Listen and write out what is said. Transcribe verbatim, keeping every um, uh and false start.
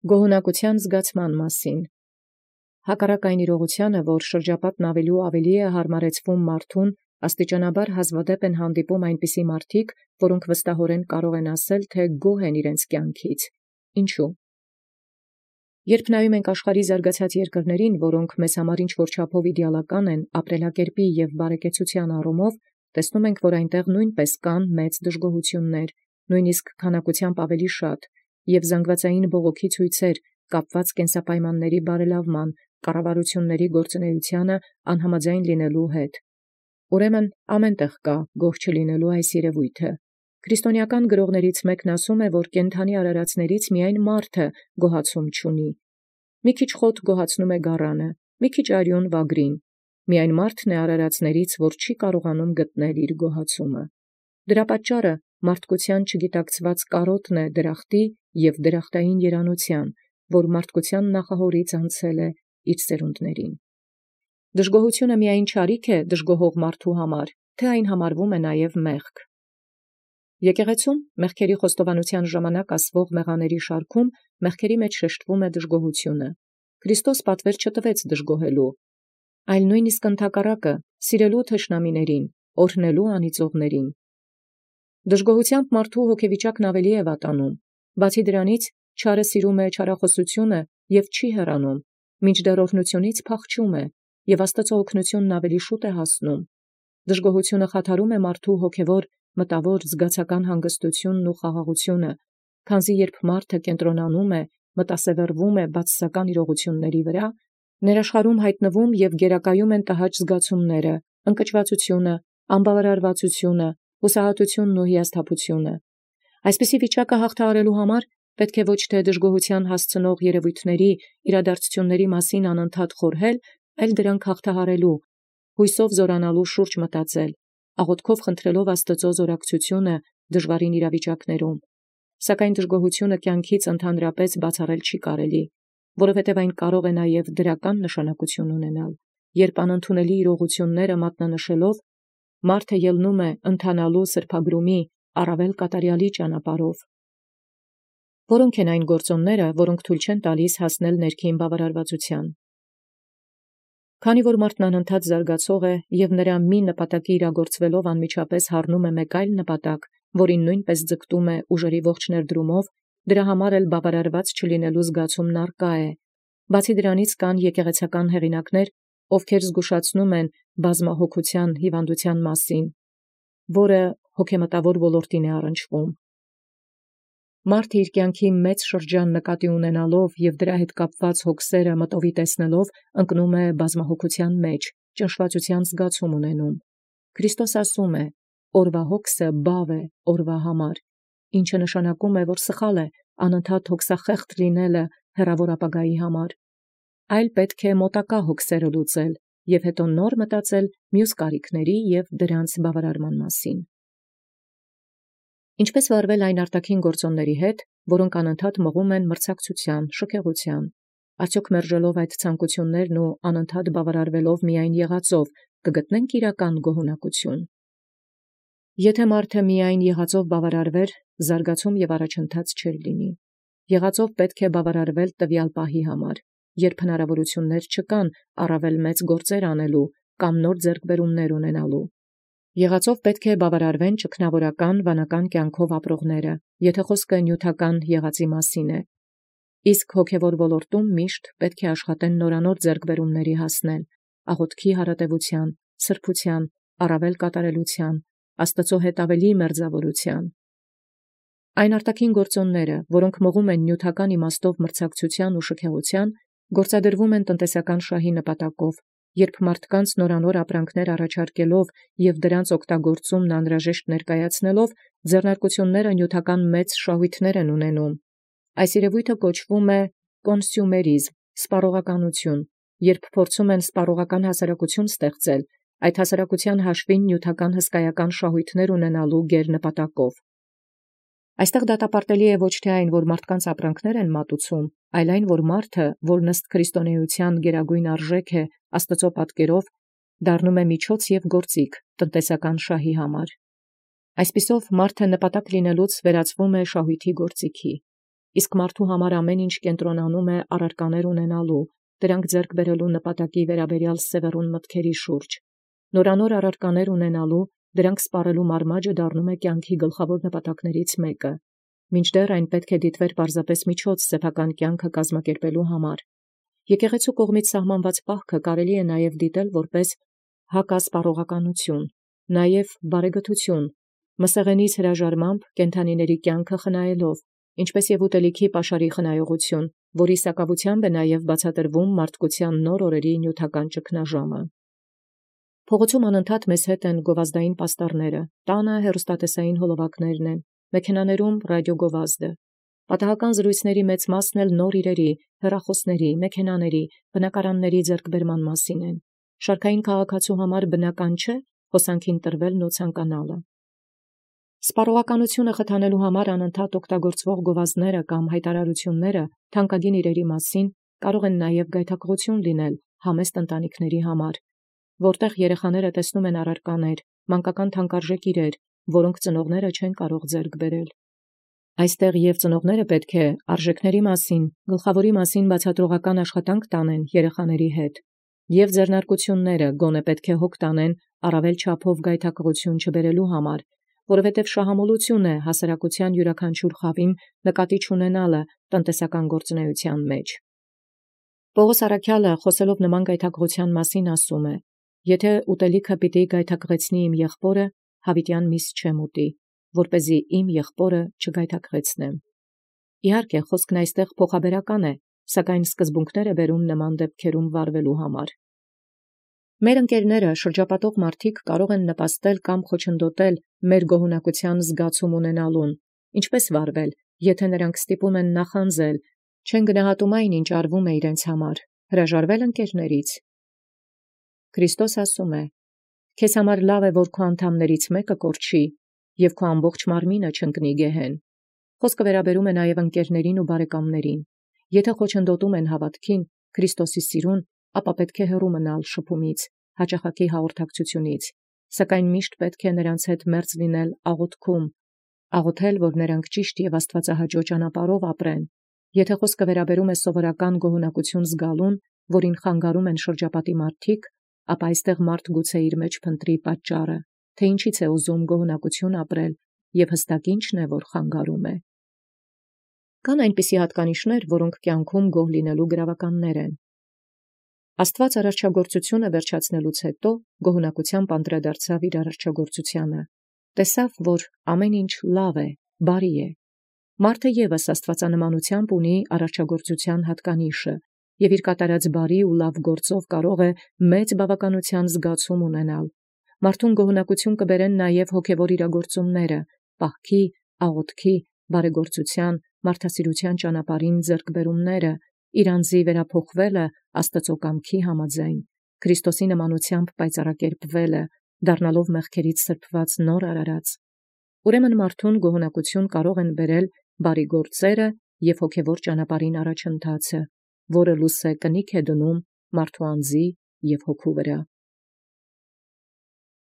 Գոհունակութեան զգացման մասին։ Հակառակ այն իրողութեան, որ շրջապատն ավելի և ավելի հարմարեցվում մարդուն, աստիճանաբար հազվադեպ են հանդիպում այնպիսի մարդիկ, որք վստահորեն կարող են ասել, թէ գոհ են իրենց կյանքից։ Ինչո՞ւ։ Երբ նայում ենք աշխարհի զարգացած երկրներին, որոնք մեզ համար ինչ-որ չափով իդեալական են ապրելակերպի և բարեկեցության առումով, տեսնում ենք, որ այնտեղ նույնպես կան մեծ դժգոհություններ, նույնիսկ քանակությամբ ավելի շատ, և զանգվածային բողոքի ցույցեր կապված կենսապայմանների բարելավման, կառավարութիւնների գործունեութեանը անհամաձայն լինելու հետ։ Ուրեմն ամեն տեղ կա գոհ չլինելու այս երևոյթը։ Քրիստոնեական գրողներից մեկն ասում է, որ կենդանի արարածներից միայն մարդը գոհացում չունի։ Մի քիչ խոտ գոհացնում է գառանը, մի քիչ արյուն վագրին։ Միայն մարդն է արարածներից, որ չի կարողանում գտնել իր գոհացումը։ Դրա պատճառը մարդկության չգիտակցված կարոտն է դրախտի և դրախտային երանութեան, որ մարդկության նախահորից անցել է իր սերունդներին։ Դժգոհությունը միայն չարիք է դժգոհող մարդու համար, թե այն համարվում է նաև մեղք։ Եկեղեցում մեղքերի խոստովանության ժամանակ ասվող մեղաների շարքում մեղքերի մեջ շեշտվում է դժգոհությունը։ Քրիստոս պատվեր չտվեց դժգոհելու, այլ նույնիսկ ընդհակառակը սիրելու թշնամիներին, օրհնելու անիծողներին։ Դժգոհությամբ մարդու հոգեվիճակն ավելի է վատանում։ Բացի դրանից, չարը սիրում է չարախոսությունը և չի հեռանում, մինչդեռ օրհնությունից փախչում է, և Աստծո օգնությունն ավելի շուտ է հասնում։ Դժգոհությունը խաթարում է մարդու հոգևոր, մտավոր, զգացական հանգստությունն ու խաղաղությունը, քանզի երբ մարդը կենտրոնանում է, մտասևեռվում է բացասական իրողությունների վրա, ներաշխարհում հայտնվում և գերակայում են տհաճ զգացումները, ընկճվածությունը, անբավարարվածությունը, հուսահատությունն ու հիասթափությունը։ Այսպիսի վիճակը հաղթահարելու համար պետք է ոչ թե դժգոհության հասցնող երևույթների, իրադարձությունների մասին անընդհատ խորհել, այլ դրանք հաղթահարելու, հույսով զորանալու շուրջ մտածել, աղոթքով խնդրելով Աստծո զորակցությունը դժվարին իրավիճակներում։ Սակայն դժգոհությունը կյանքից ընդհանրապես բացառել չի կարելի, որովհետև այն կարող է նաև դրական նշանակություն ունենալ, երբ անընդունելի իրողությունները մատնանշելով մարդը ելնում է ընթանալու սրբագրումի առավել կատարյալի ճանապարհով։ Որոնք են այն գործոնները, որոնք թույլ չեն տալիս հասնել ներքին բավարարվածության։ Քանի որ մարդն անընդհատ զարգացող է և նրա մի նպատակի իրագործվելով անմիջապես հառնում է մեկ այլ նպատակ, որին նույնպես ձգտում է ուժերի ողջ ներդրումով, դրա համար էլ բավարարված չլինելու զգացումն առկա է։ Բացի դրանից կան եկեղեցական հեղինակներ, ովքեր զգուշացնում են բազմահոգության հիվանդության մասին, որը հոգեմտավոր ոլորտին է առնչվում։ Մարդը իր կյանքի մեծ շրջան նկատի ունենալով և դրա հետ կապված հոգսերը մտովի տեսնելով ընկնում է բազմահոգության մեջ, ճնշվածության զգացում ունենում։ Քրիստոս ասում է. «Օրվա հոգսը բավ է օրվա համար», ինչը նշանակում է, որ սխալ է անընդհատ հոգսախեղճ լինելը հեռավոր ապագայի համար, այլ պետք է մոտակա հոգսերը լուծել և հետո նոր մտածել մյուս կարիքների և դրանց բավարարման մասին։ Ինչպե՞ս վարվել այն արտաքին գործոնների հետ, որոնք անընդհատ մղում են մրցակցության, շքեղության։ Արդյոք մերժելով այդ ցանկություններն ու անընդհատ բավարարվելով միայն եղածով, կգտնենք իրական գոհունակություն։ Եթե մարդը միայն եղածով բավարարվեր, զարգացում և առաջընթաց չէր լինի։ Եղածով պետք է բավարարվել տվյալ պահի համար, երբ հնարավորություններ չկան առավել մեծ գործեր անելու կամ նոր ձեռքբերումներ ունենալու։ Եղածով պետք է բավարարվեն ճգնավորական վանական կյանքով ապրողները, եթե խոսքը նյութական եղածի մասին է։ Իսկ հոգևոր ոլորտում միշտ պետք է աշխատեն նորանոր ձեռքբերումների հասնել, աղոթքի հարատևության, սրբության, առավել կատարելության, Աստծո հետ ավելի մերձավորության։ Այն արտաքին գործոնները, որոնք մղում են նյութական իմաստով մրցակցության ու շքեղության, գործադրվում են տնտեսական շահի նպատակով, երբ մարդկանց նորանոր ապրանքներ առաջարկելով և դրանց օգտագործումն անհրաժեշտ ներկայացնելով, ձեռնարկությունները նյութական մեծ շահույթներ են ունենում։ Այս երևույթը կոչվում է կոնսյումերիզմ, սպառողականություն, երբ փորձում են սպառողական հասարակություն ստեղծել, այդ հասարակության հաշվին նյութական հսկայական շահույթներ ունենալու գերնպատակով։ Այստեղ դատապարտելի է ոչ թե այն, որ մարդկանց ապրանքներ են մատուցում, այլ այն, որ մարդը, որն ըստ քրիստոնեության գերագույն արժեք է Աստծո պատկերով, դառնում է միջոց և գործիք տնտեսական շահի համար։ Այսպիսով մարդը նպատակ լինելուց վերածվում է շահույթի գործիքի։ իսկ մարդու համար ամեն ինչ կենտրոնանում է առարկաներ ունենալու, դրանք ձեռք բերելու նպատակի վերաբերյալ սևեռուն մտքերի շուրջ։ Նորանոր առարկաներ ունենալու, դրանք սպառելու մարմաճը դառնում է կյանքի գլխավոր նպատակներից մեկը, մինչդեռ այն պետք է դիտվեր պարզապես միջոց սեփական կյանքը կազմակերպելու համար։ Եկեղեցու կողմից սահմանված պահքը կարելի է նաև դիտել որպես հակասպառողականություն, նաև բարեգթություն, մսեղենից հրաժարմամբ կենդանիների կյանքը խնայելով, ինչպես և ուտելիքի պաշարի խնայողություն, որի սակավությամբ է նաև բացատրվում մարդկության նոր օրերի նյութական ճգնաժամը։ Փողոցում անընդհատ մեզ հետ են գովազդային պաստառները, տանը հեռուստատեսային հոլովակներն են, մեքենաներում ռադիոգովազդը։ Պատահական զրույցների մեծ մասն էլ նոր իրերի, հեռախոսների, մեքենաների, բնակարանների ձեռքբերման մասին են։ Շարքային քաղաքացու համար բնական չէ հոսանքին տրվելն ու ցանկանալը։ Սպառողականությունը խթանելու համար անընդհատ օգտագործվող գովազդները կամ հայտարարությունները թանկագին իրերի մասին կարող են նաև գայթակղություն լինել համեստ ընտանիքների համար, որտեղ երեխաները տեսնում են առարկաներ, մանկական թանկարժեք իրեր, որոնք ծնողները չեն կարող ձեռք բերել։ Այստեղ և ծնողները պետք է արժեքների մասին, գլխավորի մասին բացատրողական աշխատանք տանեն երեխաների հետ, և ձեռնարկությունները գոնե պետք է հոգ տանեն առավել չափով գայթակղություն չբերելու համար, որովհետև շահամոլություն է հասարակության յուրաքանչյուր խավին նկատի չունենալը տնտեսական գործունեության մեջ։ Պողոս առաքյալը խոսելով նման գայթակղության մասին ասում է. «Եթե ուտելիքը պիտի գայթակղեցնի իմ եղբորը, հավիտյան միս չեմ ուտի, որպեսզի իմ եղբորը չգայթակղեցնեմ»։ Իհարկե, խոսքն այստեղ փոխաբերական է, սակայն սկզբունքներ է բերում նման դեպքերում վարվելու համար։ Մեր ընկերները, շրջապատող մարդիկ կարող են նպաստել կամ խոչընդոտել մեր գոհունակության զգացում ունենալուն, ինչպես վարվել, եթե նրանք ստիպում են նախանձել, չեն գնահատում այն, ինչ արվում է իրենց համար, հրաժարվել ընկերներից։ Քրիստոս ասում է. «Քեզ համար լավ է, որ քո անդամներից մեկը կորչի, և քո ամբողջ մարմինը չընկնի գեհեն»։ Խոսքը վերաբերում է նաև ընկերներին ու բարեկամներին։ Եթե խոչընդոտում են հավատքին, Քրիստոսի սիրուն, ապա պետք է հեռու մնալ շփումից, հաճախակի հաղորդակցությունից, սակայն միշտ պետք է նրանց հետ մերձ լինել աղոթքում, աղոթել, որ նրանք ճիշտ և աստվածահաճո ճանապարհով ապրեն։ Եթե խոսքը վերաբերում է սովորական գոհունակություն զգալուն, որին խանգարում են շրջապատի մարդիկ, ապա այստեղ մարդ գուցե իր մեջ փնտրի պատճառը, թե ինչից է ուզում գոհունակություն ապրել և հստակ ինչն է, որ խանգարում է։ Կան այնպիսի հատկանիշներ, որոնք կյանքում գոհ լինելու գրավականներ են։ Աստված արարչագործությունը վերջացնելուց հետո գոհունակությամբ անդրադարձավ իր արարչագործությանը, տեսավ, որ ամեն ինչ լավ է, բարի է։ Մարդը ևս աստվածանմանությամբ ունի արարչագործության հատկանիշը և իր կատարած բարի ու լավ գործով կարող է մեծ բավականության զգացում ունենալ։ Մարդուն գոհունակություն կբերեն նաև հոգևոր իրագործումները, պահքի, աղոթքի, բարեգործության, մարդասիրության ճանապարհին ձեռքբերումները, իր անձի վերափոխվելը Աստծո կամքի համաձայն, Քրիստոսի նմանությամբ պայծառակերպվելը, դառնալով մեղքերից սրբված նոր արարած։ Ուրեմն մարդուն գոհունակություն կարող են բերել բարի գործերը և հոգևոր ճանապարհին առաջընթացը, որը լույս է կնիք է դնում մարդու անձի և հոգու վրա։